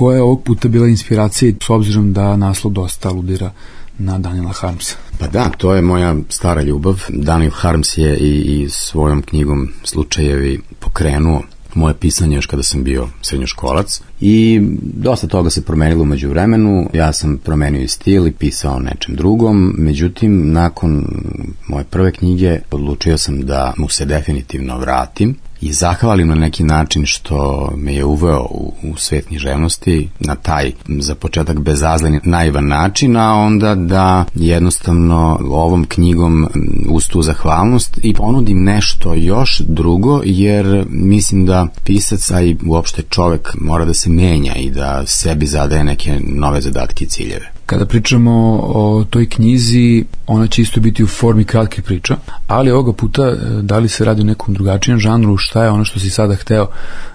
koja je ovog puta bila inspiracija, s obzirom da naslov dosta aludira na Daniela Harmsa? Pa da, to je moja stara ljubav. Daniel Harms je i svojom knjigom Slučajevi pokrenuo moje pisanje još kada sam bio srednjoškolac i dosta toga se promenilo umeđu vremenu. Ja sam promenio i stil i pisao nečem drugom, međutim nakon moje prve knjige odlučio sam da mu se definitivno vratim i zahvalim na neki način što me je uveo u svet književnosti na taj, za početak, bezazlen, naivan način, a onda da jednostavno ovom knjigom uz tu zahvalnost i ponudim nešto još drugo, jer mislim da pisac, a i uopšte čovek, mora da se menja i da sebi zadaje neke nove zadatke i ciljeve. Kada pričamo o toj knjizi, ona će isto biti u formi kratkih priča, ali ovoga puta da li se radi o nekom drugačijem žanru, šta je ono što si sada hteo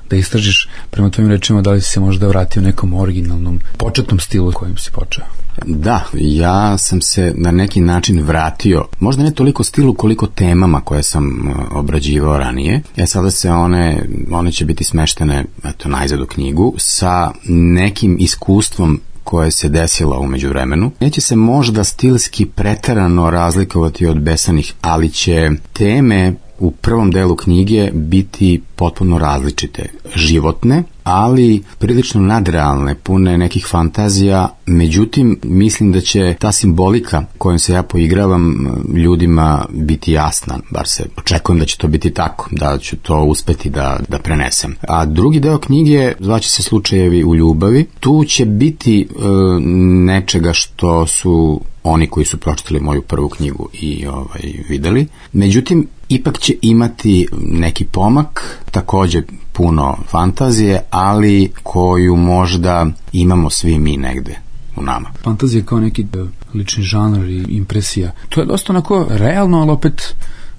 da istražiš, prema tvojim rečima, da li si se možda vratio nekom originalnom početnom stilu kojim si počeo? Da, ja sam se na neki način vratio, možda ne toliko stilu koliko temama koje sam obrađivao ranije. Sada se one će biti smeštene najzad u knjigu sa nekim iskustvom koje se desilo u međuvremenu. Neće se možda stilski preterano razlikovati od Besanih, ali će teme u prvom delu knjige biti potpuno različite, životne, ali prilično nadrealne, pune nekih fantazija. Međutim, mislim da će ta simbolika kojom se ja poigravam ljudima biti jasna, bar se očekujem da će to biti tako, da ću to uspeti da prenesem. A drugi deo knjige zvaće se Slučajevi u ljubavi. Tu će biti nečega što su oni koji su pročitali moju prvu knjigu i videli. Međutim, ipak će imati neki pomak, takođe puno fantazije, ali koju možda imamo svi mi negde u nama. Fantazija kao neki lični žanr i impresija. To je dosta onako realno, ali opet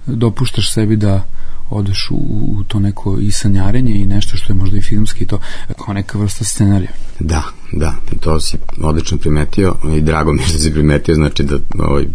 dopuštaš sebi da odeš u to neko i sanjarenje i nešto što je možda i filmski i to kao neka vrsta scenarija. Da, to si odlično primetio i drago mi što si primetio, znači da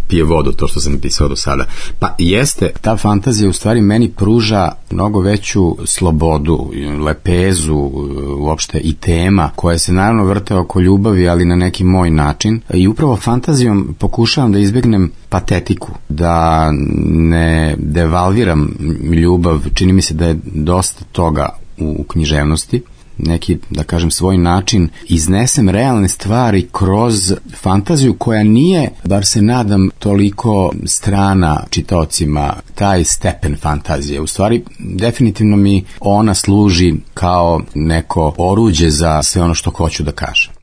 pije vodu to što sam pisao do sada. Pa jeste, ta fantazija u stvari meni pruža mnogo veću slobodu, lepezu, uopšte i tema koja se naravno vrte oko ljubavi, ali na neki moj način, i upravo fantazijom pokušavam da izbegnem patetiku, da ne devalviram ljubav. Čini mi se da je dosta toga u književnosti, neki, da kažem, svoj način iznesem realne stvari kroz fantaziju koja nije, bar se nadam, toliko strana čitaocima, taj stepen fantazije. U stvari, definitivno mi ona služi kao neko oruđe za sve ono što hoću da kažem.